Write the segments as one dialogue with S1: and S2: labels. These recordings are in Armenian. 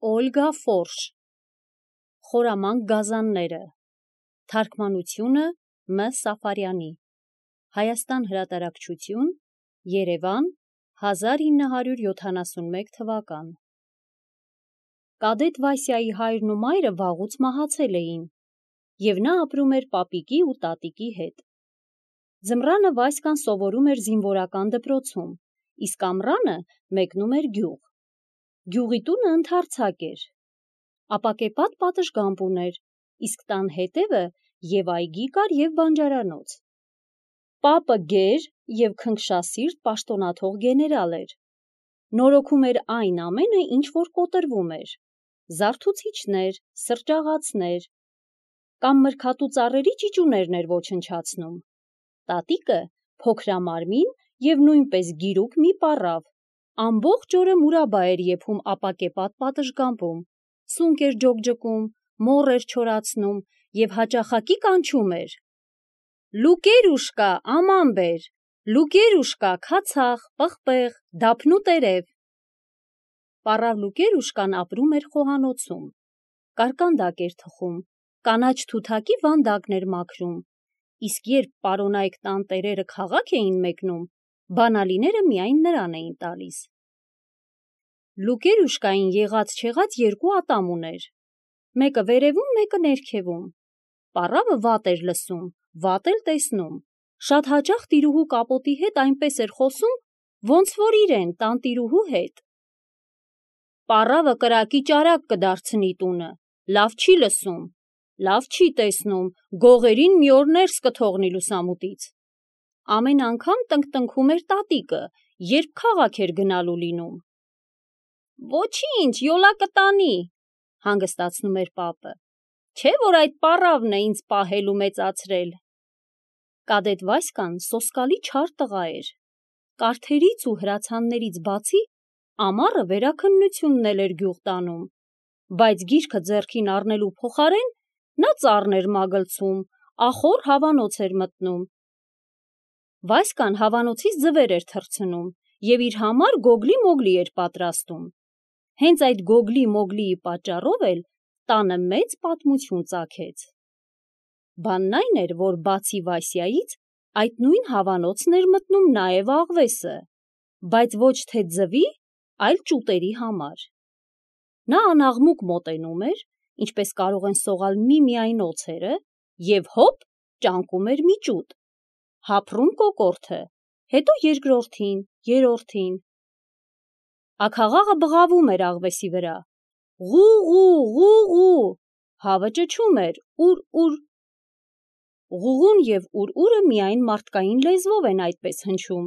S1: Օլգա Ֆորշ Խորամանկ գազանները Թարգմանությունը Մ. Սաֆարյանի Հայաստան հրատարակչություն Երևան 1971 թվական Կադետ Վասյայի հայրն ու մայրը վաղուց մահացել էին, և նա ապրում էր պապիկի ու տատիկի հետ։ Ձմռանը Վասյան սովորում էր զինվորական դպրոցում, իսկ ամռանը մեկնում էր գյուղ։ Գյուղի տունը ընդարձակ էր, ապակեպատ պատշգամբ ուներ, իսկ տան հետևը և այգի կար և բանջարանոց։ Պապը գեր և քնքշասիրտ պաշտոնաթող գեներալ էր, նորոգում էր այն ամենը, ինչ որ կոտրվում էր, զարթուցիչներ, սրճաղացներ, կամ մրգատու ծառերի ճիճուներն էր ոչնչացնում։ Տատիկը փոքրամարմին և նույնպես գիրուկ մի պառավ, ամբողջ օրը մուրաբա էր եփում ապակեպատ պատշգամբում, սունկ էր ջոկջկում, մոռ էր չորացնում և հաճախակի կանչում էր. «Լուկերուշկա, աման բեր, Լուկերուշկա, քացախ, պղպեղ, դափնու տերև»։ Պառավ Լուկերուշկան ապրում էր խոհանոցում, կարկանդակ էր թխում, կանաչ թութակի վանդակն էր մաքրում, իսկ երբ պարոնայք տան տերերը քաղաք էին մեկնում, բանալիները միայն նրան էին տալիս։ Լուկերուշկային եղած-չեղած երկու ատամ ուներ, մեկը վերևում, մեկը ներքևում։ Պառավը վատ էր լսում, վատ էլ տեսնում, շատ հաճախ տիրուհու կապոտի հետ այնպես էր խոսում, ոնց որ իրեն տանտիրուհու հետ։ Պառավը կրակի ճարակ կդարձնի տունը, լավ չի լսում, լավ չի տեսնում, գողերին մի օր ներս կթողնի լուսամուտից։ Ամեն անգամ տնկտնքում էր տատիկը, երբ քաղաք էր գնալու լինում։ «Ոչինչ, յոլա կտանի», հանգստացնում էր պապը, չէ՞ որ այդ պառավն է ինձ պահել ու մեծացրել։ Կադետ Վասյան սոսկալի չար տղա էր, կարթերից ու հրացաններից բացի ամառը վերաքննությունն էլ էր գյուղ տանում, բայց գիրքը ձեռքին առնելու փոխարեն նա ծառն էր մագլցում, ախոր հավանոց էր մտնում։ Վասյան հավանոցից ձվեր էր թռցնում և իր համար գոգլի-մոգլի էր պատրաստում։ Հենց այդ գոգլի-մոգլիի պատճառով էլ տանը մեծ պատմություն ծագեց։ Բանն այն էր, որ բացի Վասյայից, այդ նույն հավանոցն էր մտնում նաև աղվեսը, բայց ոչ թե ձվի, այլ ճուտերի համար։ Նա անաղմուկ մոտենում էր, ինչպես կարող են սողալ միմիայն օձերը, և հոպ, ճանկում էր մի ճուտ, հափռում կոկորդը, հետո երկրորդին, երրորդին։ Աքաղաղը բղավում էր աղվեսի վրա. «Ղուղու, ղուղու», հավը ճչում էր. «ուր»։ Ղուղուն և ուր-ուրը միայն մարդկային լեզվով են այդպես հնչում,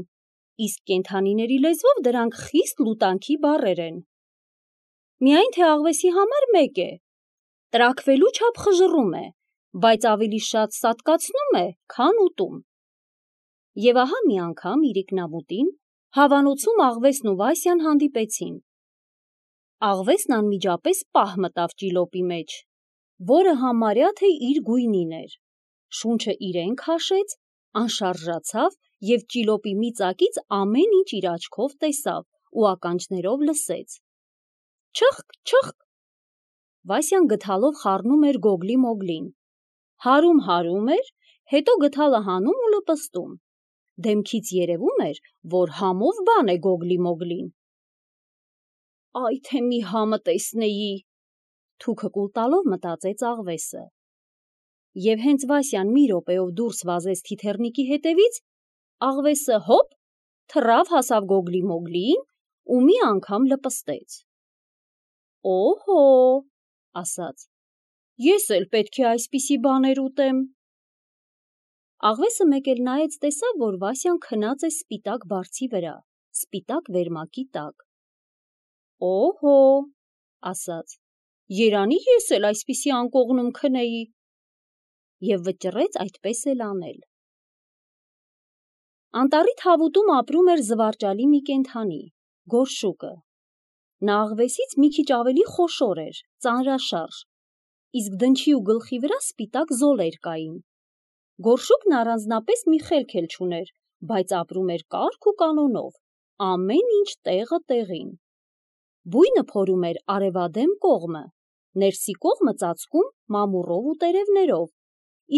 S1: իսկ կենդանիների լեզվով դրանք խիստ լուտանքի բառեր են։ Միայն թե աղվեսի համար մեկ է. տրաքվելու չափ խժռում է, բայց ավելի շատ սատկացնում է, քան ուտում։ Եվ ահա մի անգամ իրիկնամուտին հավանոցում աղվեսն ու Վասյան հանդիպեցին։ Աղվեսն անմիջապես պահ մտավ ճիլոպի մեջ, որը համարյա թե իր գույնին էր, շունչը իրեն քաշեց, անշարժացավ և ճիլոպի մի ծակից ամեն ինչ իր աչքով տեսավ ու ականջներով լսեց։ Չըխկ, չըխկ։ Վասյան գդալով խառնում էր գոգլի-մոգլին, հարում էր, հետո գդալը հանում ու լպստում, դեմքից երևում էր, որ համով բան է գոգլի-մոգլին։ «Այ թե մի համը տեսնեի», թուքը կուլ տալով մտածեց աղվեսը։ Եվ հենց Վասյան մի րոպեով դուրս վազեց թիթեռնիկի հետևից, աղվեսը հոպ, թռավ հասավ գոգլի-մոգլիին ու մի անգամ լպստեց։ «Օհո», ասաց, «ես էլ պետք է այսպիսի բաներ ուտեմ»։ Աղվեսը մեկ էլ նայեց տեսավ, որ Վասյան քնած է սպիտակ բարձի վրա, սպիտակ վերմակի տակ։ «Օհո», ասաց, «երանի ես էլ այսպիսի անկողնում քնեի» և վճռեց այդպես էլ անել։ Անտառի թավուտում ապրում էր զվարճալի մի կենդանի՝ գորշուկը։ Նա աղվեսից մի քիչ ավելի խոշոր էր, ծանրաշարժ, իսկ դնչի ու գլխի վրա սպիտակ զոլեր կային։ Գորշուկն առանձնապես մի խելք էլ չուներ, բայց ապրում էր կարգ ու կանոնով, ամեն ինչ տեղը տեղին։ Բույնը փորում էր արևադեմ կողմը, ներսի կողմը ծածկում մամուռով ու տերևներով,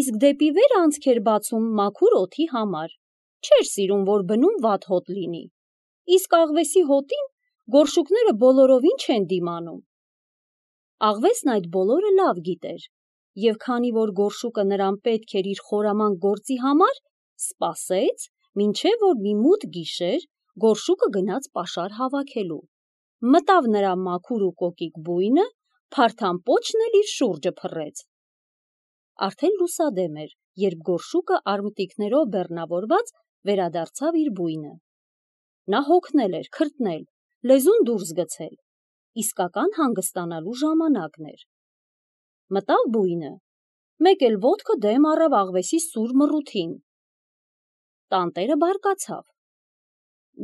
S1: իսկ դեպի վեր անցք էր բացում մաքուր օդի համար, չէր սիրում, որ բնում վատ հոտ լինի, իսկ աղվեսի հոտին գորշուկները բոլորովին չեն դիմանում։ Աղվեսն այդ բոլորը լավ գիտեր, և քանի որ գորշուկը նրան պետք էր իր խորամանկ գործի համար, սպասեց, մինչև որ մի մութ գիշեր գորշուկը գնաց պաշար հավաքելու, մտավ նրա մաքուր ու կոկիկ բույնը, փարթամ պոչն էլ իր շուրջը փռեց։ Արդեն լուսադեմ էր, երբ գորշուկը արմտիկներով բեռնավորված վերադարձավ իր բույնը։ Նա հոգնել էր, քրտնել, լեզուն դուրս գցել, իսկական հանգստանալու ժամանակն էր։ Մտավ բույնը, մեկ էլ ոտքը դեմ առավ աղվեսի սուր մռութին։ Տանտերը բարկացավ.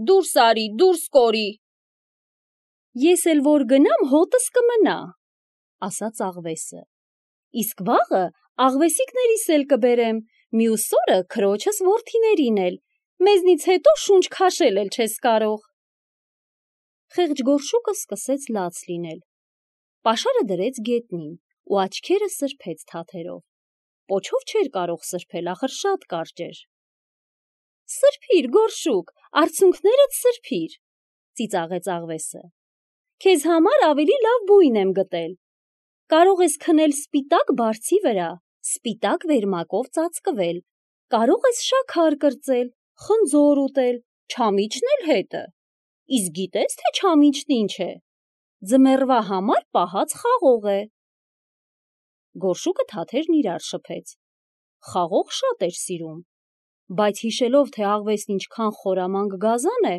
S1: «Դուրս արի, դուրս կորի»։ «Ես էլ որ գնամ, հոտս կմնա», ասաց աղվեսը։ «Իսկ վաղը աղվեսիկներիս էլ կբերեմ, մյուս օրը քրոջս որդիներին էլ, մեզնից հետո շունչ քաշել էլ չես կարող»։ Խեղճ գորշուկը սկսեց լաց լինել։ Պաշարը դրեց գետնին ու աչքերը սրբեց թաթերով։ Պոչով չէր կարող սրբել, ախր շատ կարճ էր։ «Սրբիր, գորշուկ, արցունքներդ սրբիր», ծիծաղեց աղվեսը։ «Քեզ համար ավելի լավ բույն եմ գտել։ Կարող ես քնել սպիտակ բարձի վրա, սպիտակ վերմակով ծածկվել, կարող ես շաքար կրծել, խնձոր ուտել, չամիչն էլ հետը։ Իսկ գիտես, թե չամիչն ինչ է։ Ձմեռվա համար պահած խաղող է»։ Գորշուկը թաթերն իրար շփեց։ Խաղող շատ էր սիրում, բայց հիշելով, թե աղվեսն ինչքան խորամանկ գազան է,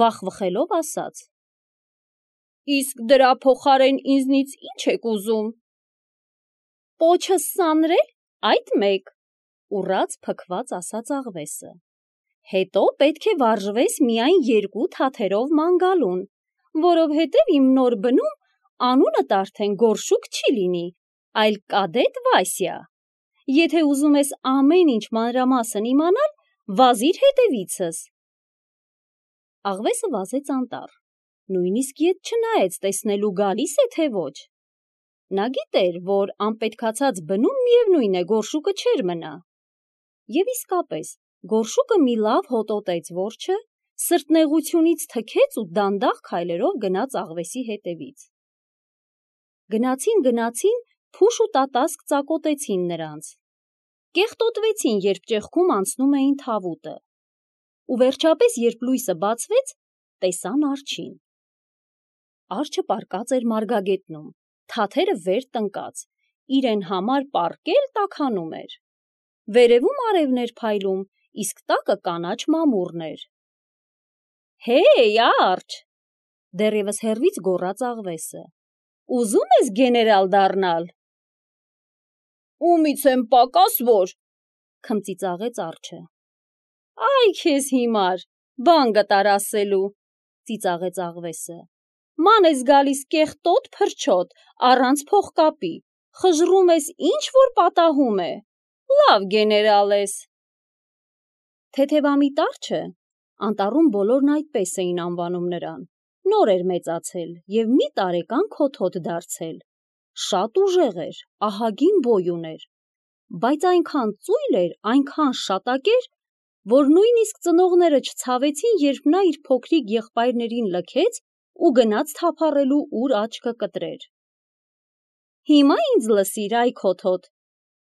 S1: վախվխելով ասաց. «Իսկ դրա փոխարեն ինձնից ինչ եք ուզում»։ «Պոչս սանրել, այդ մեկ», ուռած փքված ասաց աղվեսը։ «Հետո պետք է վարժվես միայն 2 թաթերով ման գալուն, որովհետև իմ նոր բնում անունդ արդեն գորշուկ չի լինի, այլ կադետ Վասյա։ Եթե ուզում ես ամեն ինչ մանրամասն իմանալ, վազիր հետևիցս»։ Աղվեսը վազեց անտառ, նույնիսկ ետ չնայեց տեսնելու գալիս է, թե ոչ։ Նա գիտեր, որ անպետքացած բնում միևնույն է գորշուկը չէր մնա։ Եվ իսկապես, գորշուկը մի լավ հոտոտեց որջը, սրտնեղությունից թքեց ու դանդաղ քայլերով գնաց աղվեսի հետևից։ Գնացին, փուշ ու տատասկ ծակոտեցին նրանց։ Կեղտոտվեցին, երբ ճեղքում անցնում էին թավուտը։ Ու վերջապես, երբ լույսը բացվեց, տեսան արջին։ Արջը պառկած էր մարգագետնում, թաթերը վեր տնկած, իրեն համար պառկել տաքանում էր։ Վերևում արևն էր փայլում, իսկ տակը կանաչ մամուռն էր։ «Հեյ, արջ», դեռևս հեռվից գոռաց աղվեսը, «ուզում ես գեներալ դառնալ»։ «Ումից եմ պակաս որ», քմծիծաղեց արջը։ «Այ քեզ հիմար, բան գտար ասելու», ծիծաղեց աղվեսը։ «Ման ես գալիս կեղտոտ փրչոտ, առանց փողկապի, խժռում ես ինչ որ պատահում է, լավ գեներալ ես»։ Թեթևամիտ արջը, անտառում բոլորն այդպես էին անվանում նրան, նոր էր մեծացել և մի տարեկան քոթոտ դարձել, շատ ուժեղ էր, ահագին բոյ ուներ, բայց այնքան ծույլ էր, այնքան շատակեր, որ նույնիսկ ծնողները չցավեցին, երբ նա իր փոքրիկ եղբայրներին լքեց ու գնաց թափառելու, ուր աչքը կտրեր։ «Հիմա ինձ լսիր, այ քոթոտ»,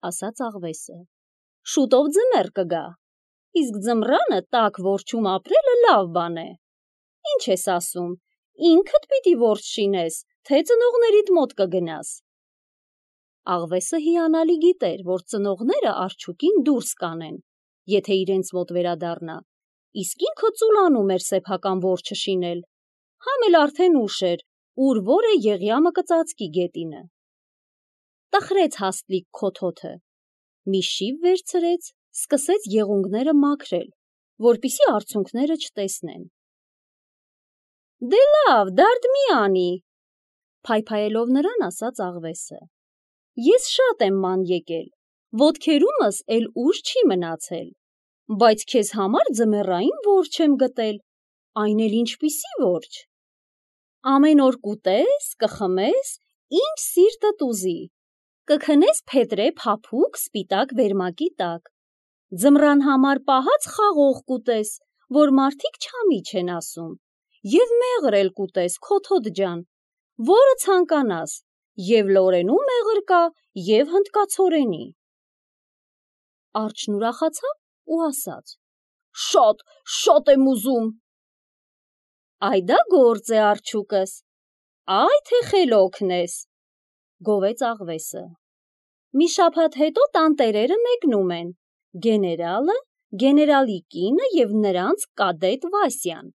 S1: ասաց աղվեսը, «շուտով ձմեռ կգա, իսկ ձմռանը տաք որջում ապրելը լավ բան է։ Ինչ ես ասում, ինքդ պիտի որջ շինես, թե ծնողներիդ մոտ կգնաս»։ Աղվեսը հիանալի գիտեր, որ ծնողները արջուկին դուրս կանեն, եթե իրենց մոտ վերադառնա, իսկ ինքը ծուլանում էր սեփական որջը շինել, համ էլ արդեն ուշ էր, ուր որ է Եղիամը կծածկի գետինը։ Տխրեց հաստլիկ քոթոթը, մի շիվ վերցրեց, սկսեց եղունգները մաքրել, որպեսզի արցունքները չտեսնեն։ «Դե լավ, դարդ մի անի», փայփայելով նրան ասաց աղվեսը։ «Ես շատ եմ ման եկել, ոտքերումս էլ ուժ չի մնացել, բայց քեզ համար ձմեռային որջ եմ գտել, այն էլ ինչպիսի որջ։ Ամեն օր կուտես, կխմես, ինչ սիրտդ ուզի, կքնես փետրե փափուկ սպիտակ վերմակի տակ, ձմռան համար պահած խաղող կուտես, որ մարդիկ չամիչ են ասում, և մեղր էլ կուտես, քոթոտ ջան, որը ցանկանաս, և լորենու մեղր կա, և հնդկացորենի։ Արջն ուրախացավ ու ասաց. Շատ եմ ուզում։ Այդա գործ է, արջուկս, այ թե խելոքն ես, գովեց աղվեսը։ Մի շաբաթ հետո տանտերերը մեկնում են, գեներալը, գեներալի կինը և նրանց կադետ Վասյան։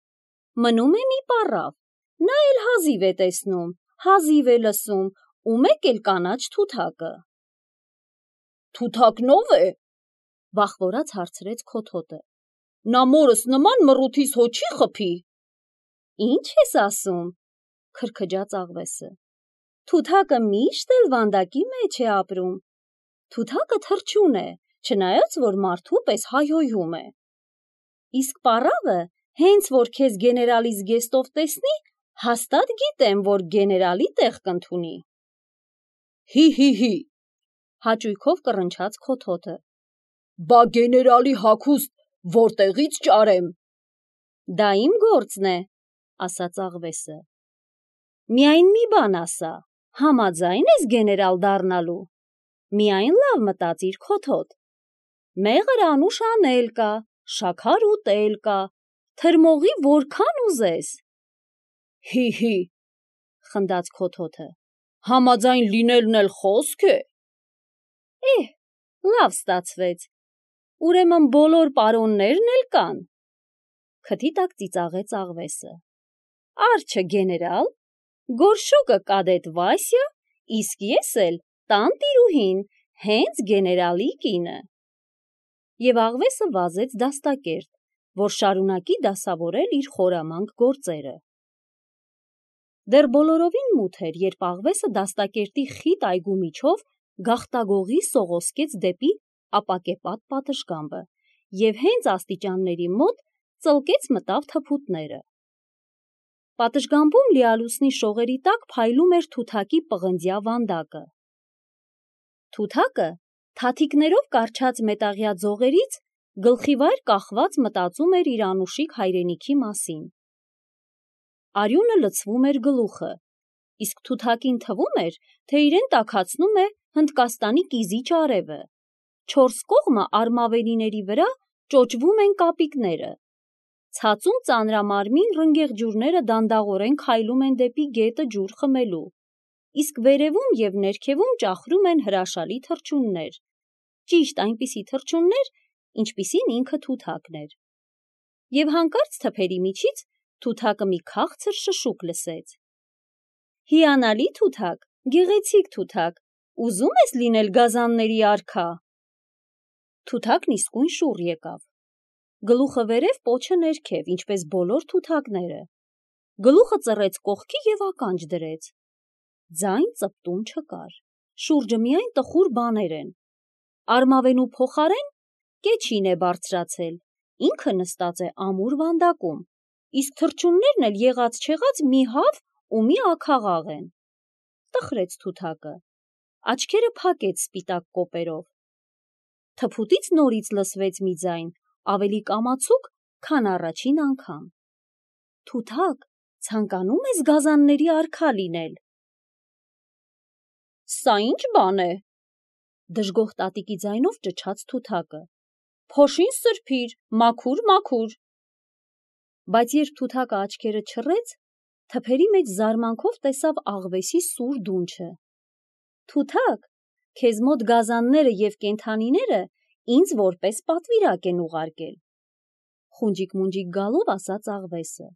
S1: Մնում է մի պառավ, նա էլ հազիվ է տեսնում, հազիվ է լսում, ու մեկ էլ կանաչ թութակը։ Թութակնո՞վ է, վախվորած հարցրեց քոթոտը։ Նա մորս նման մռութիս հո չի խփի։ Ինչ ես ասում, քրքջաց աղվեսը։ Թութակը միշտ էլ վանդակի մեջ է ապրում։ Թութակը թռչուն է, չնայած որ մարդու պես հայհոյում է։ Իսկ պառավը, հենց որ քեզ գեներալի զգեստով տեսնի, հաստատ գիտեմ, որ գեներալի տեղ կընդունի։ Հի, հաճույքով կռնչաց քոթոտը։ Բա գեներալի հագուստ որտեղից ճարեմ։ Դա իմ գործն է, ասաց աղվեսը։ Միայն մի բան ասա, համաձայն ես գեներալ դառնալու։ Միայն լավ մտածիր, քոթոտ։ Մեղր անուշ անել կա, շաքար ուտել կա, թրմողի որքան ուզես։ Հի, խնդաց քոթոտը, համաձայն լինելն էլ խոսք է։ Լավ ստացվեց, ուրեմն բոլոր պարոններն էլ կան։ Քթի տակ ծիծաղեց աղվեսը։ Արջը գեներալ, գորշուկը կադետ Վասյա, իսկ ես էլ տանտիրուհին, հենց գեներալի կինը։ Եվ աղվեսը վազեց դաստակերտ, որ շարունակի դասավորել իր խորամանկ գործերը։ Դեռ բոլորովին մութ էր, երբ աղվեսը դաստակերտի խիտ այգու միջով գաղտագողի սողոսկեց դեպի ապակեպատ պատշգամբը և հենց աստիճանների մոտ ծլկեց մտավ թփուտները։ Պատշգամբում լիալուսնի շողերի տակ փայլում էր թութակի պղնձյա վանդակը։ Թութակը թաթիկներով կառչած մետաղյա ձողերից գլխիվայր կախված մտածում էր իր անուշիկ հայրենիքի մասին։ Արյունը լցվում էր գլուխը, իսկ թութակին թվում էր, թե իրեն տաքացնում է Հնդկաստանի կիզիչ արևը։ Չորս կողմը արմավենիների վրա ճոճվում են կապիկները։ Ցածում ծանրամարմին ռնգեղ ջուրները դանդաղորեն քայլում են դեպի գետը ջուր խմելու, իսկ վերևում և ներքևում ճախրում են հրաշալի թռչուններ, ճիշտ այնպիսի թռչուններ, ինչպիսին ինքը Թութակն էր։ Եվ հանկարծ թփերի միջից Թութակը մի քաղցր շշուկ լսեց։ Հիանալի Թութակ, գեղեցիկ Թութակ, ուզում ես լինել գազանների արքա։ Թութակն իսկույն շուռ եկավ։ Գլուխը վերև, պոչը ներքև, ինչպես բոլոր թութակները։ Գլուխը ծռեց կողքի և ականջ դրեց։ Ձայն ծպտուն չկար, շուրջը միայն տխուր բաներ են։ Արմավենու փոխարեն կեչին է բարձրացել, ինքը նստած է ամուր վանդակում, իսկ թռչուններն էլ եղած-չեղած մի հավ ու մի աքաղաղ են։ Տխրեց Թութակը, աչքերը փակեց սպիտակ կոպերով։ Թփուտից նորից լսվեց մի ձայն, ավելի կամացուկ, քան առաջին անգամ։ Թութակ, ցանկանում ես գազանների արքա լինել։ Սա ինչ բան է, դժգոհ տատիկի ձայնով ճչաց Թութակը։ Փոշին սրբիր, մաքուր։ Բայց երբ Թութակը աչքերը չռեց, թփերի մեջ զարմանքով տեսավ աղվեսի սուր դունչը։ Թութակ, քեզ մոտ գազանները և կենդանիները ինձ որպես պատվիրակ են ուղարկել։ Խունջիկ-մունջիկ գալով ասաց աղվեսը։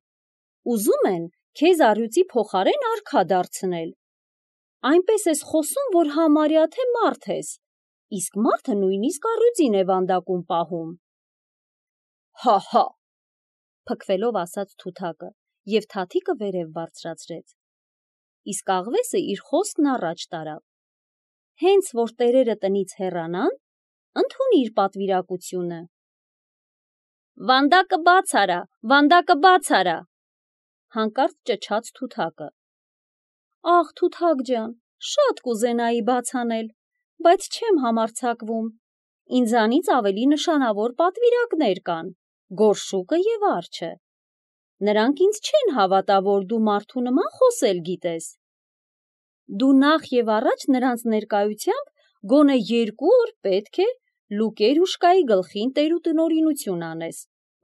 S1: Ուզում են քեզ առյուծի փոխարեն արքա դարձնել։ Այնպես ես խոսում, որ համարյա թե մարդ ես, իսկ մարդը նույնիսկ առյուծին է վանդակում պահում։ Հա, փքվելով ասաց Թութակը և թաթիկը վերև բարձրացրեց։ Իսկ աղվեսը իր խոսքն առաջ տարավ։ Հենց որ տերերը տնից հեռանան, ընդունիր պատվիրակությունը։ Վանդակը բաց արա, հանկարծ ճչաց Թութակը. «Աղ, Թութակ ջան, շատ կուզենայի բաց անել, բայց չեմ համարձակվում, ինձանից ավելի նշանավոր պատվիրակներ կան, Գորշուկը և Արջը, նրանք ինձ չեն հավատա, որ դու մարդու նման խոսել գիտես, դու նախ և առաջ նրանց ներկայությամբ գոնե 2 օր պետք է Լուկերուշկայի գլխին տերուտնօրինություն անես,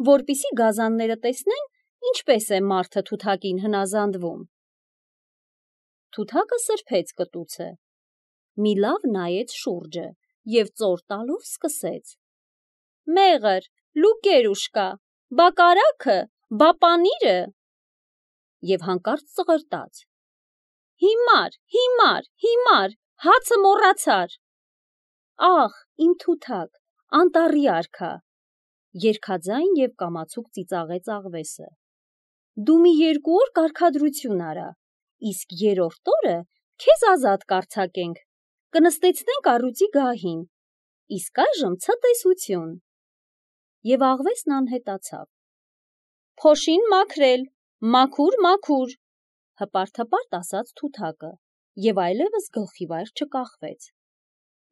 S1: որպեսզի գազանները տեսնեն, ինչպես է մարդը Թութակին հնազանդվում»։ Թութակը սրբեց կտուցը, մի լավ նայեց շուրջը և ծոր տալով սկսեց. «Մեղր, Լուկերուշկա, բա կարագը, բա պանիրը» և հանկարծ ծղրտաց. «Հիմար, հիմար, հիմար, հացը մոռացար»։ «Աղ, իմ Թութակ, անտառի արքա», երգաձայն և կամացուկ ծիծաղեց աղվեսը, «դու մի 2 օր կարգադրություն արա, իսկ 3-րդ օրը քեզ ազատ կարձակենք, կնստեցնենք առյուծի գահին, իսկ այժմ ցտեսություն»։ Եվ աղվեսն անհետացավ։ «Փոշին մաքրել, մաքուր, մաքուր», հպարտ ասաց Թութակը և այլևս գլխիվայր չկախվեց։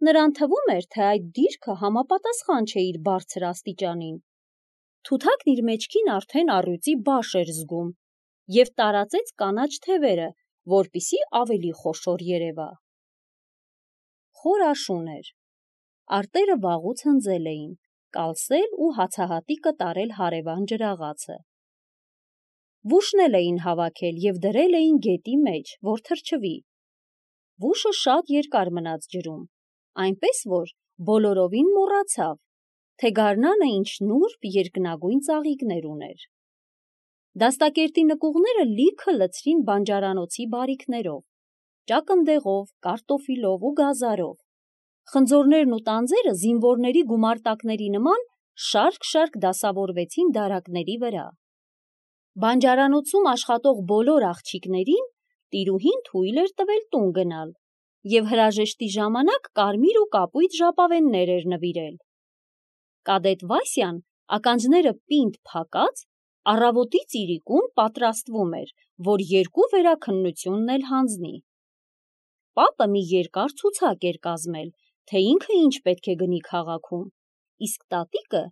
S1: Նրան թվում էր, թե այդ դիրքը համապատասխան չէ իր բարձր աստիճանին։ Թութակն իր մեջքին արդեն առյուծի բաշ էր զգում և տարածեց կանաչ թևերը, որպեսզի ավելի խոշոր երևա։ Խոր աշուն էր։ Արտերը վաղուց հնձել էին, կալսել ու հացահատիկը տարել հարևան ջրաղացը։ Վուշն էլ էին հավաքել և դրել էին գետի մեջ, որ թրջվի։ Վուշը շատ երկար մնաց ջրում, այնպես որ բոլորովին մոռացավ, թե գարնանը ինչ նուրբ երկնագույն ծաղիկներ ուներ։ Դաստակերտի նկուղները լիքը լցրին բանջարանոցի բարիքներով, ճակնդեղով, կարտոֆիլով ու գազարով։ Խնձորներն ու տանձերը զինվորների գումարտակների նման շարք-շարք դասավորվեցին դարակների վրա։ Բանջարանոցում աշխատող բոլոր աղջիկներին տիրուհին թույլ էր տվել տուն գնալ և հրաժեշտի ժամանակ կարմիր ու կապույտ ժապավեններ էր նվիրել։ Կադետ Վասյան, ականջները պինդ փակած, առավոտից իրիկուն պատրաստվում էր, որ 2 վերաքննությունն էլ հանձնի։ Պապը մի երկար ցուցակ էր կազմել, թե ինքը ինչ պետք է գնի քաղաքում, իսկ տատիկը,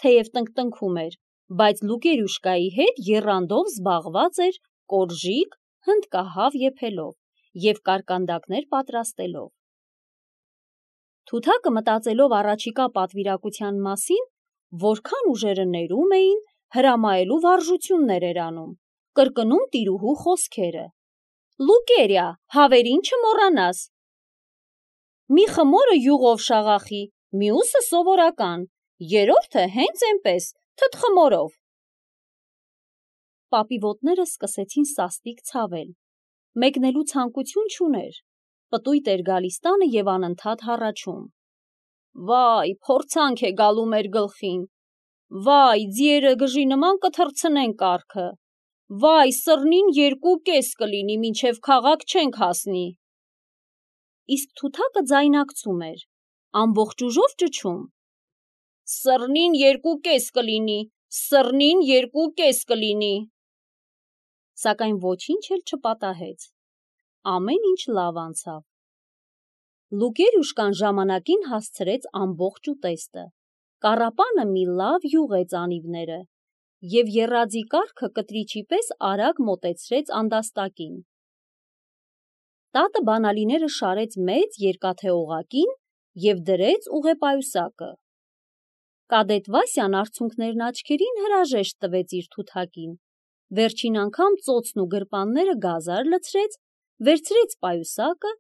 S1: թեև տնկտնքում էր, բայց Լուկերուշկայի հետ եռանդով զբաղված էր կորժիկ, հնդկահավ եփելով և կարկանդակներ պատրաստելով։ Թութակը մտածելով առաջիկա պատվիրակության մասին, որքան ուժերը ներում էին, հրամայելու վարժություններ էր անում, կրկնում տիրուհու խոսքերը. «Լուկերիա, հավերին չմոռանաս, մի խմորը յուղով շաղախի, մյուսը սովորական, 3-րդը հենց էնպես, թթխմորով»։ Պապի ոտները սկսեցին սաստիկ ցավել, մեկնելու ցանկություն չուներ, պտույտ էր գալիս տանը և անընդհատ հառաչում. «Վայ, փորձանք է գալու մեր գլխին, վայ, ձիերը գժի նման կթռցնեն կառքը, վայ, սռնին 2 կես կլինի, մինչև քաղաք չենք հասնի»։ Իսկ Թութակը ձայնակցում էր, ամբողջ ուժով ճչում. «Սռնին 2 կես կլինի, սռնին 2 կես կլինի»։ Սակայն ոչինչ էլ չպատահեց, ամեն ինչ լավ անցավ։ Լուկերուշկան ժամանակին հասցրեց ամբողջ ուտեստը, կառապանը մի լավ յուղեց անիվները և եռաձի կառքը կտրիչի պես արագ մոտեցրեց անդաստակին։ Տատը բանալիները շարեց մեծ երկաթե օղակին և դրեց ուղեպայուսակը։ Կադետ Վասյան արցունքներն աչքերին հրաժեշտ տվեց իր Թութակին, վերջին անգամ ծոցն ու գրպանները գազար լցրեց, վերցրեց պայուսակը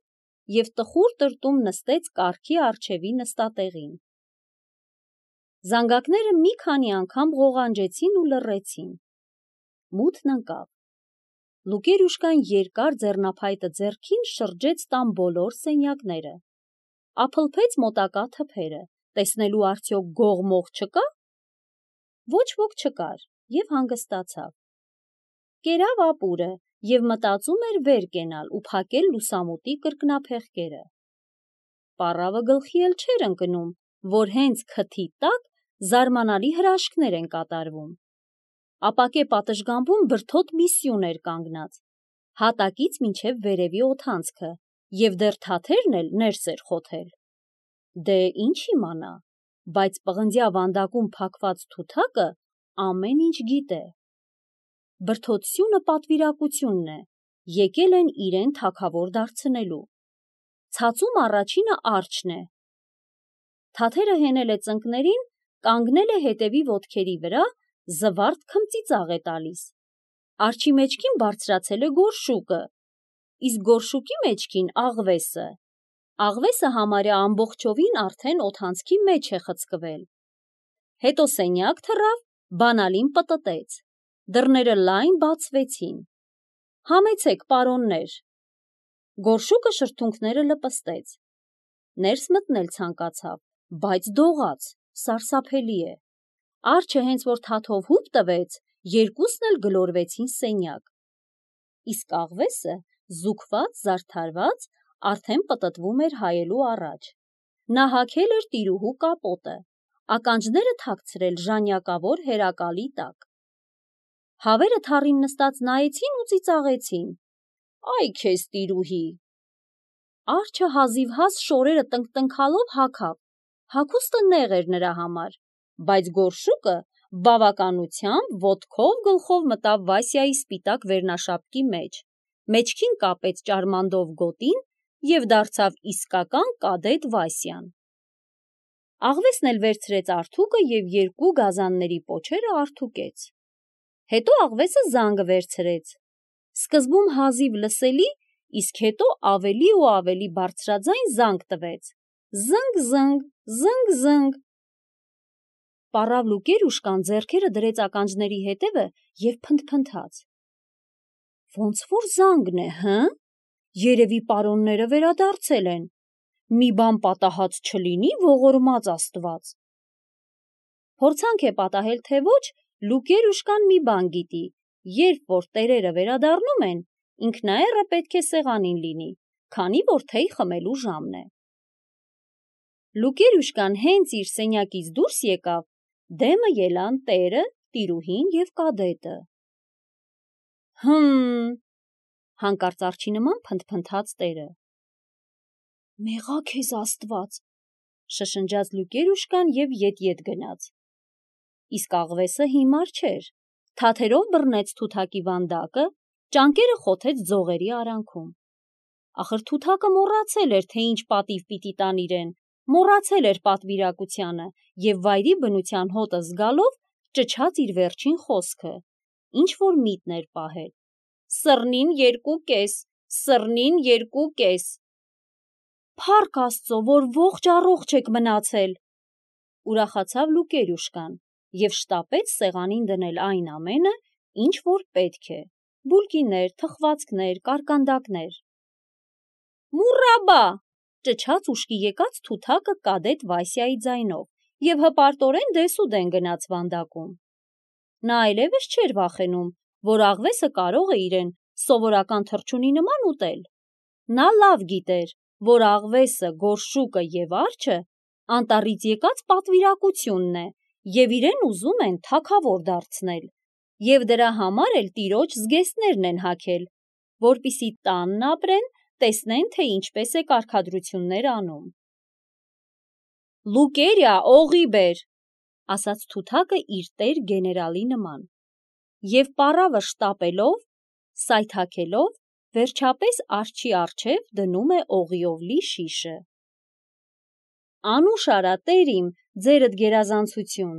S1: և տխուր տրտում նստեց կառքի առջևի նստատեղին։ Զանգակները մի քանի անգամ ղողանջեցին ու լռեցին։ Մութն ընկավ։ Լուկերուշկան երկար ձեռնափայտը ձեռքին շրջեց տան բոլոր սենյակները, ափլփեց մոտակա թփերը, տեսնելու արդյոք գող-մող չկա։ Ոչ ոք չկար և հանգստացավ։ Կերավ ապուրը և մտածում էր վեր կենալ ու փակել լուսամուտի կրկնափեղկերը։ Պառավը գլխի էլ չէր ընկնում, որ հենց քթի տակ զարմանալի հրաշքներ են կատարվում։ Ապակե պատշգամբում բրդոտ մի սյուն էր կանգնած, հատակից մինչև վերևի օդանցքը, և դեռ թաթերն էլ ներս էր խոթել։ Դե ինչ իմանա, բայց պղնձյա վանդակում փակված թութակը ամեն ինչ գիտե։ Բրդոտ սյունը պատվիրակությունն է, եկել են իրեն թագավոր դարձնելու։ Ցածում առաջինը արջն է։ Թաթերը հենել է ծնկներին, կանգնել է հետևի ոտքերի վրա, զվարթ քմծիծաղ է տալիս։ Արջի մեջքին բարձրացել է գորշուկը, իսկ գորշուկի մեջքին աղվեսը։ Աղվեսը համարյա ամբողջովին արդեն օդանցքի մեջ է խցկվել։ Հետո սենյակ թռավ, բանալին պտտեց։ Դռները լայն բացվեցին։ Համեցեք, պարոններ։ Գորշուկը շրթունքները լպստեց։ Ներս մտնել ցանկացավ, բայց դողաց, սարսափելի է։ Արջը հենց որ թաթով հուպ տվեց, երկուսն էլ գլորվեցին սենյակ։ Իսկ աղվեսը, զուգված, զարդարված, արդեն պտտվում էր հայելու առաջ։ Նա հագել էր տիրուհու կապոտը, ականջները թաքցրել ժանյակավոր հերակալի տակ։ Հավերը թառին նստած նայեցին ու ծիծաղեցին. «Այ քեզ տիրուհի»։ Արջը հազիվհազ շորերը տնկտնքալով հագավ, հագուստը նեղ էր նրա համար, բայց գորշուկը բավականությամբ ոտքով գլխով մտավ Վասյայի սպիտակ վերնաշապկի մեջ, մեջքին կապեց ճարմանդով գոտին և դարձավ իսկական կադետ Վասյան։ Աղվեսն էլ վերցրեց արթուկը և երկու գազանների պոչերը արթուկեց։ Հետո աղվեսը զանգը վերցրեց, սկզբում հազիվ լսելի, իսկ հետո ավելի ու ավելի բարձրաձայն զանգ տվեց. զնգ-զնգ, զնգ-զնգ։ Պառավ Լուկերուշկան ձեռքերը դրեց ականջների հետևը և փնթփնթաց. Ոնց որ զանգն է, հը՞։ Երևի պարոնները վերադարձել են։ Մի բան պատահած չլինի, ողորմած Աստված։ Փորձանք է պատահել, թե ոչ, Լուկերուշկան մի բան գիտի, երբ որ տերերը վերադառնում են, ինքնաեռը պետք է սեղանին լինի, քանի որ թեյ խմելու ժամն է։ Լուկերուշկան հենց իր սենյակից դուրս եկավ, դեմը ելան տերը, տիրուհին և կադետը։ Հանկարծ արջի նման փնթփնթաց տերը։ Մեղա քեզ Աստված, շշնջաց Լուկերուշկան և ետ գնաց։ Իսկ աղվեսը հիմար չէր, թաթերով բռնեց թութակի վանդակը, ճանկերը խոթեց ձողերի արանքում։ Ախր թութակը մոռացել էր, թե ինչ պատիվ պիտի տան իրեն, մոռացել էր պատվիրակությանը և վայրի բնության հոտը զգալով ճչաց իր վերջին խոսքը, ինչ որ միտն էր պահել. «Սռնին 2.5, սռնին 2.5»։ Փառք Աստծո, որ ողջ առողջ եք մնացել, ուրախացավ Լուկերուշկան և շտապեց սեղանին դնել այն ամենը, ինչ որ պետք է. բուլկիներ, թխվածքներ, կարկանդակներ։ Մուրաբա, ճչաց ուշքի եկած թութակը կադետ Վասյայի ձայնով և հպարտորեն դեսուդեն գնաց վանդակում։ Նա այլևս չէր վախենում, որ աղվեսը կարող է իրեն սովորական թռչունի նման ուտել։ Նա լավ գիտեր, որ աղվեսը, գորշուկը և արջը անտառից եկած պատվիրակությունն է և իրեն ուզում են թագավոր դարձնել, և դրա համար էլ տիրոջ զգեստներն են հագել, որպեսզի տանն ապրեն, տեսնեն, թե ինչպես է կարգադրություններ անում։ Լուկերիա, օղի բեր, ասաց թութակը իր տեր գեներալի նման, և պառավը շտապելով, սայթաքելով, վերջապես արջի առջև դնում է օղիով լի շիշը։ Անուշ արա, տեր իմ, ձերդ գերազանցություն։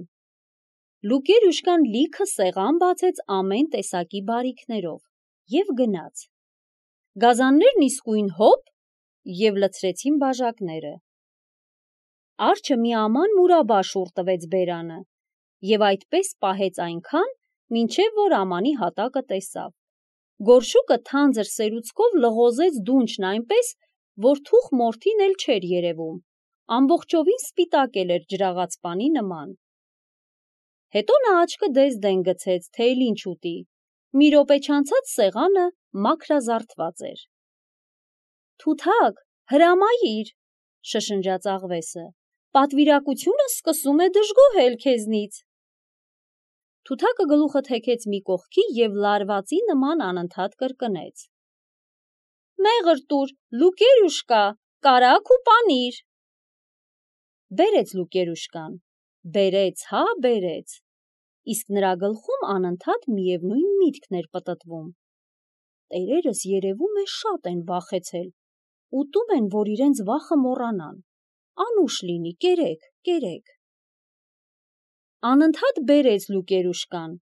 S1: Լուկերուշկան լիքը սեղան բացեց ամեն տեսակի բարիքներով և գնաց։ Գազաններն իսկույն հոп և լցրեցին բաժակները։ Արջը մի աման մուրաբա շուռ տվեց բերանը և այդպես պահեց այնքան, մինչև որ ամանի հատակը տեսավ։ Գորշուկը թանձր սերուցքով լղոզեց դունչն այնպես, որ թուխ մորթին էլ չէր երևում, ամբողջովին սպիտակ էր ջրաղացպանի նման։ Հետո նա աչքը դես-դեն գցեց, թե էլ ինչ ուտի։ Մի րոպե չանցած սեղանը մաքրազարդված էր։ Թութակ, հրամայիր, շշնջաց աղվեսը, պատվիրակությունը սկսում է դժգոհել քեզնից։ Թութակը գլուխը թեքեց մի կողքի և լարվածի նման անընդհատ կրկնեց. «Մեղր տուր, Լուկերուշկա, կարագ ու պանիր»։ Բերեց Լուկերուշկան, բերեց, հա բերեց, իսկ նրա գլխում անընդհատ միևնույն միտքն էր պտտվում. տերերս երևում է շատ են վախեցել, ուտում են, որ իրենց վախը մոռանան, անուշ լինի, կերեք։ Անընդհատ բերեց Լուկերուշկան,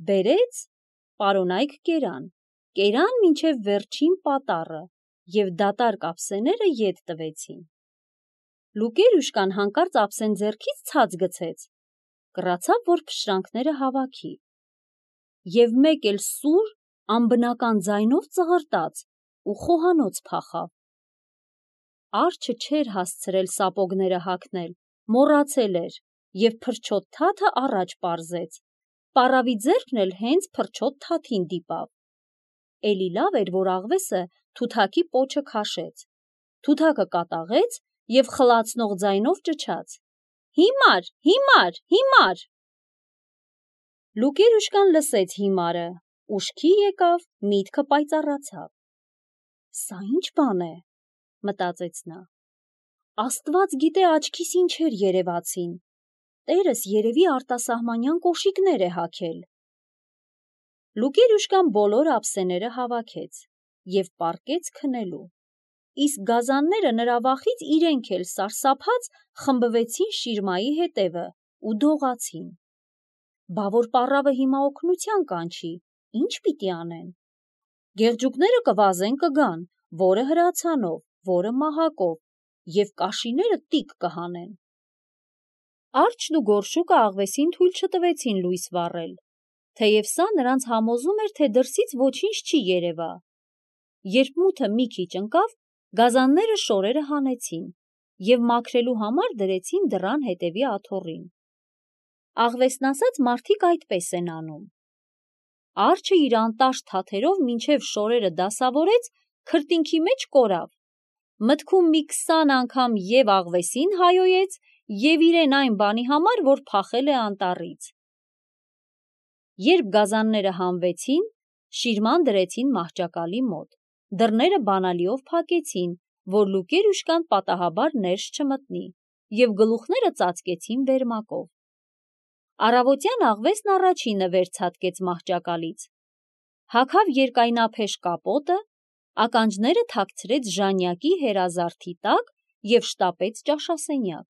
S1: բերեց, պարոնայք կերան մինչև վերջին պատառը և դատարկ ափսեները ետ տվեցին։ Լուկերուշկան հանկարծ ափսեն ձեռքից ցած գցեց, կռացավ, որ փշրանքները հավաքի, և մեկ էլ սուր, անբնական ձայնով ծղրտաց ու խոհանոց փախավ։ Արջը չէր հասցրել սապոգները հագնել, մոռացել էր և փրչոտ թաթը առաջ պարզեց, պառավի ձեռքն էլ հենց փրչոտ թաթին դիպավ։ Էլի լավ էր, որ աղվեսը Թութակի պոչը քաշեց, Թութակը կատաղեց և խլացնող ձայնով ճչաց. «Հիմար»։ Լուկերուշկան լսեց հիմարը, ուշքի եկավ, միտքը պայծառացավ։ «Սա ի՞նչ բան է», մտածեց նա։ Աստված գիտե աչքիս ինչեր երևացին, տերս երևի արտասահմանյան կոշիկներ է հագել։ Լուկերուշկան բոլոր ափսեները հավաքեց և պառկեց քնելու, իսկ գազանները նրա վախից իրենք էլ սարսափած խմբվեցին շիրմայի հետևը ու դողացին։ Բա որ պառավը հիմա օգնության կանչի, ի՞նչ պիտի անեն։ Գեղջուկները կվազեն կգան, որը հրացանով, որը մահակով, և կաշիները տիկ կհանեն։ Արջն ու գորշուկը աղվեսին թույլ չտվեցին լույս վառել, թեև սա նրանց համոզում էր, թե դրսից ոչինչ չի երևա։ Երբ մութը մի քիչ ընկավ, գազանները շորերը հանեցին և մաքրելու համար դրեցին դռան հետևի աթոռին։ Աղվեսն ասած մարդիկ այդպես են անում։ Արջը իր անտաշ թաթերով մինչև շորերը դասավորեց, քրտինքի մեջ կորավ, մտքում մի 20 անգամ և աղվեսին հայոյեց և իրեն այն բանի համար, որ փախել է անտառից։ Երբ գազանները հանվեցին, շիրման դրեցին մահճակալի մոտ, դռները բանալիով փակեցին, որ Լուկերուշկան պատահաբար ներս չմտնի, և գլուխները ծածկեցին վերմակով։ Առավոտյան աղվեսն առաջինը վեր ցատկեց մահճակալից, հագավ երկայնափեշ կապոտը, ականջները թաքցրեց ժանյակի հերազարդի տակ և շտապեց ճաշասենյակ։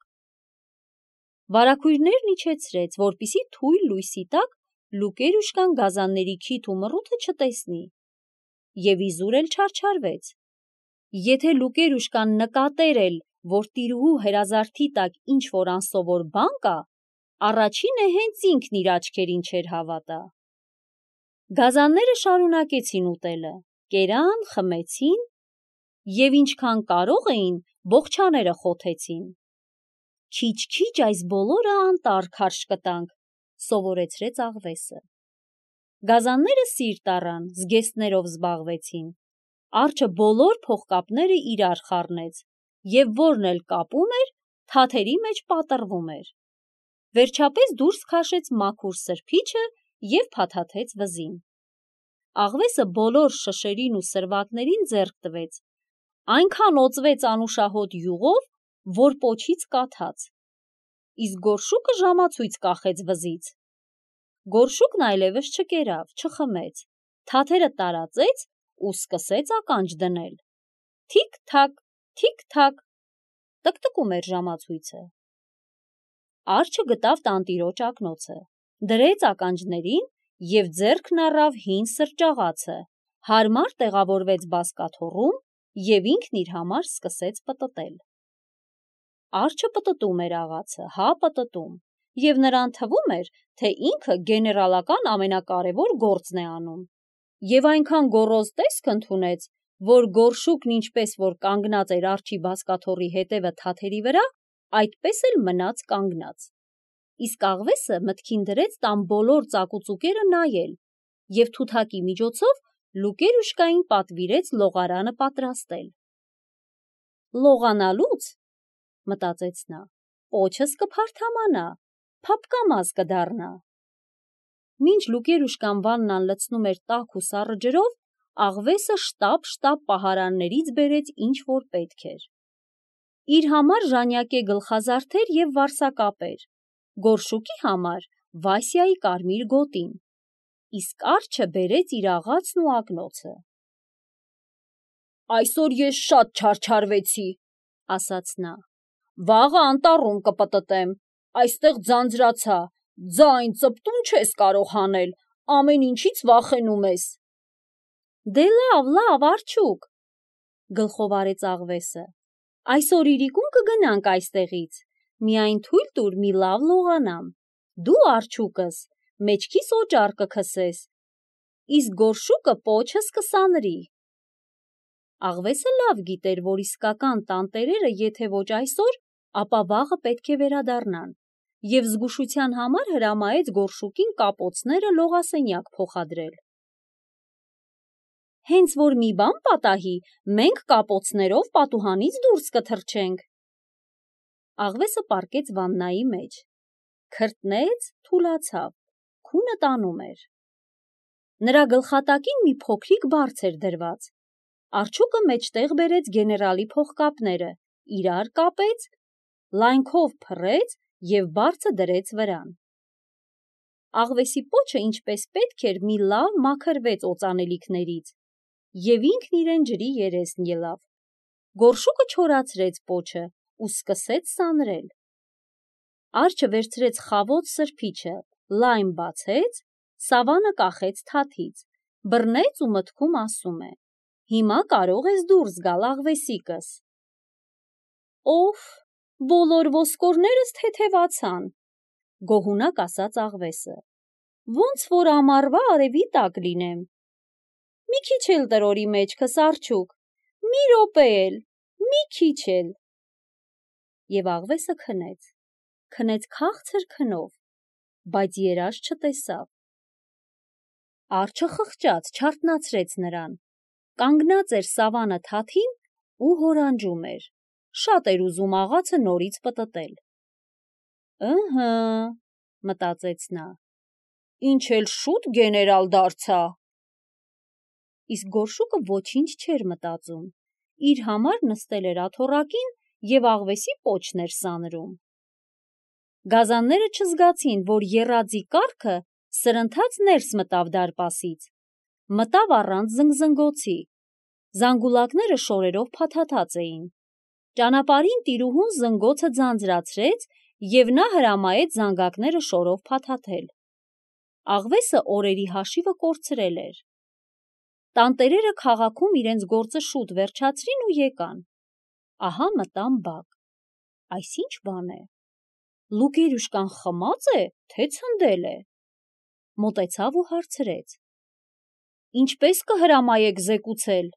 S1: Վարագույրներն իջեցրեց, որպեսզի թույլ լույսի տակ Լուկերուշկան գազանների քիթ ու մռութը չտեսնի, և իզուր էլ չարչարվեց։ Եթե Լուկերուշկան նկատեր էլ, որ տիրուհու հերազարդի տակ ինչ-որ անսովոր բան կա, առաջինը հենց ինքն իր աչքերին չէր հավատա։ Գազանները շարունակեցին ուտելը, կերան, խմեցին և ինչքան կարող էին, բոխչաները խոթեցին։ Քիչ-քիչ այս բոլորը անտառ քարշ կտանք, սովորեցրեց աղվեսը։ Գազանները սիրտ առան, զգեստներով զբաղվեցին։ Արջը բոլոր փողկապները իրար խառնեց, և որն էլ կապում էր, թաթերի մեջ պատռվում էր։ Վերջապես դուրս քաշեց մաքուր սրբիչը և փաթաթեց վզին։ Աղվեսը բոլոր շշերին ու սրվակներին ձեռք տվեց, այնքան օծվեց անուշահոտ յուղով, որ պոչից կաթաց, իսկ գորշուկը ժամացույց կախեց վզից։ Գորշուկն այլևս չկերավ, չխմեց, թաթերը տարածեց ու սկսեց ականջ դնել։ Թիք-թաք, թիք-թաք, տկտկում էր ժամացույցը։ Արջը գտավ տանտիրոջ ակնոցը, դրեց ականջներին և ձեռքն առավ հին սրճաղացը, հարմար տեղավորվեց բազկաթոռում և ինքն իր համար սկսեց պտտել։ Արջը պտտում էր աղացը, հա պտտում, և նրան թվում էր, թե ինքը գեներալական ամենակարևոր գործն է անում, և այնքան գոռոզ տեսք ընդունեց, որ գորշուկն ինչպես որ կանգնած էր արջի բազկաթոռի հետևը թաթերի վրա, այդպես էլ մնաց կանգնած։ Իսկ աղվեսը մտքին դրեց տան բոլոր ծակուծուկերը նայել և Թութակի միջոցով Լուկերուշկային պատվիրեց լողարանը պատրաստել։ Լողանալուց, մտածեց նա, պոչս կփարթամանա, փափկամազ կդառնա։ Մինչ Լուկերուշկան վաննան լցնում էր տաք ու սառը ջրով, աղվեսը շտապ պահարաններից բերեց ինչ որ պետք էր։ Իր համար ժանյակե գլխազարդեր և վարսակապեր, Գորշուկի համար Վասյայի կարմիր գոտին, իսկ արջը բերեց իր աղացն ու ակնոցը։ «Այսօր ես շատ չարչարվեցի», ասաց նա, «վաղը անտառում կպտտեմ, այստեղ ձանձրացա, ձայն ծպտուն չես կարող հանել, ամեն ինչից վախենում ես»։ Դե լավ, արջուկ, գլխով արեց աղվեսը, այսօր իրիկուն կգնանք այստեղից, միայն թույլ տուր մի լավ լողանամ, դու արջուկս մեջքիս օճառ կքսես, իսկ Գորշուկը պոչս կսանրի։ Աղվեսը լավ գիտեր, որ իսկական տանտերերը եթե ոչ այսօր, ապա վաղը պետք է վերադառնան, և զգուշության համար հրամայեց Գորշուկին կապոցները լողասենյակ փոխադրել։ Հենց որ մի բան պատահի, մենք կապոցներով պատուհանից դուրս կթռչենք։ Աղվեսը պառկեց վաննայի մեջ, քրտնեց, թուլացավ, քունը տանում էր։ Նրա գլխատակին մի փոքրիկ բարձ էր դրված։ Արջուկը մեջտեղ բերեց գեներալի փողկապները, իրար կապեց, լայնքով փռեց և բարձը դրեց վրան։ Աղվեսի պոչը ինչպես պետք էր մի լավ մաքրվեց օծանելիքներից, և ինքն իրեն ջրի երեսն ելավ։ Գորշուկը չորացրեց պոչը ու սկսեց սանրել։ Արջը վերցրեց խավոտ սրբիչը, լայն բացեց, սավանը կախեց թաթից, բռնեց ու մտքում ասում է. «Հիմա կարող ես դուրս գալ, աղվեսիկս»։ «Օֆ, բոլոր ոսկորներս թեթևացան», գոհունակ ասաց աղվեսը, «ոնց որ ամառվա արևի տակ լինեմ»։ «Մի քիչ էլ տրորի մեջքս, արջուկ, մի րոպե էլ, մի քիչ էլ»։ Եվ աղվեսը քնեց քաղցր քնով, բայց երազ չտեսավ։ Արջը խղճաց, չարթնացրեց նրան, կանգնած էր սավանը թաթին ու հորանջում էր, շատ էր ուզում աղացը նորից պտտել։ «Ըհը», մտածեց նա, «ինչ էլ շուտ գեներալ դարձա»։ Իսկ Գորշուկը ոչինչ չէր մտածում, իր համար նստել էր աթոռակին և աղվեսի պոչն էր սանրում։ Գազանները չզգացին, որ եռաձի կառքը սրընթաց ներս մտավ դարպասից, մտավ առանց զնգզնգոցի, զանգուլակները շորերով փաթաթած էին։ Ճանապարհին տիրուհուն զնգոցը ձանձրացրեց և նա հրամայեց զանգակները շորով փաթաթել։ Աղվեսը օրերի հաշիվը կորցրել էր։ Տանտերերը քաղաքում իրենց գործը շուտ վերջացրին ու եկան։ Ահա մտան բակ։ Այս ի՞նչ բան է։ Լուկերուշկան խմա՞ծ է, թե ցնդել է։ Մոտեցավ ու հարցրեց. «Ինչպես կհրամայեք զեկուցել»։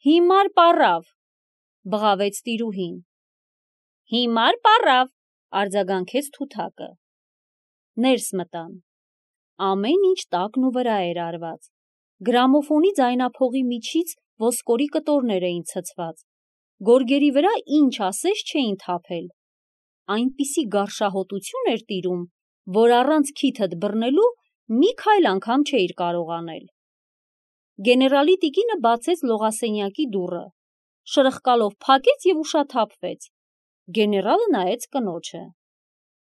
S1: «Հիմար պառավ», բղավեց տիրուհին։ «Հիմար պառավ», արձագանքեց թութակը։ Ներս մտան։ Ամեն ինչ տակն ու վրա էր արված։ Գրամոֆոնի ձայնափողի միջից ոսկորի կտորներ էին ցցված, գորգերի վրա ինչ ասես չէին թափել։ Այնպիսի գարշահոտություն էր տիրում, որ առանց քիթդ բռնելու մի քայլ անգամ չէիր կարող անել։ Գեներալի տիկինը բացեց լողասենյակի դուռը, շրխկալով փակեց և ուշաթափվեց։ Գեներալը նայեց կնոջը։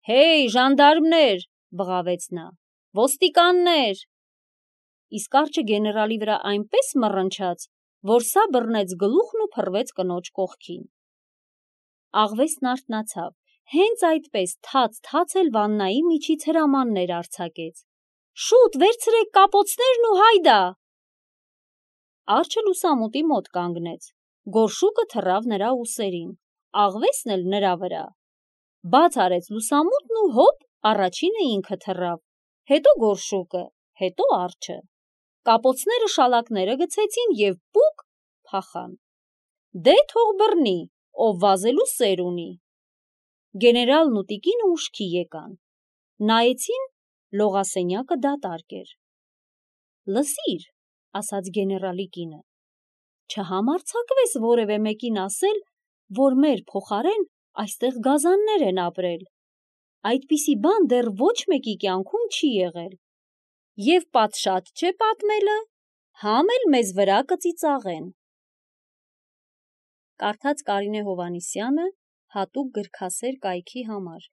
S1: «Հեյ, ժանդարմներ», բղավեց նա, «ոստիկաններ»։ Իսկ արջը գեներալի վրա այնպես մռնչաց, որ սա բռնեց գլուխն ու փռվեց կնոջ կողքին։ Աղվեսն արթնացավ, հենց այդպես թաց էլ վաննայի միջից հրամաններ արձակեց. «Շուտ վերցրեք կապոցներն ու հայդա»։ Արջը լուսամուտի մոտ կանգնեց, Գորշուկը թռավ նրա ուսերին, աղվեսն էլ նրա վրա։ Բաց արեց լուսամուտն ու հոպ, առաջինը ինքը թռավ, հետո Գորշուկը, հետո արջը։ Կապոցները շալակները գցեցին և պուկ փախան։ Դե թող բռնի, ով վազելու սեր ունի։ Գեներալն ու տիկինը ուշքի եկան։ Նայեցին, լողասենյակը դատարկ էր։ «Լսիր», ասաց գեներալի կինը, «չհամարձակվես որևէ մեկին ասել, որ մեր փոխարեն այստեղ գազաններ են ապրել։ Այդպիսի բան դեռ ոչ մեկի կյանքում չի եղել։ Եվ պատշաճ չէ պատմելը, համ էլ մեզ վրա կծիծաղեն։ Կարդաց Կարինե Հովհաննիսյանը հատուկ գրքասեր կայքի համար։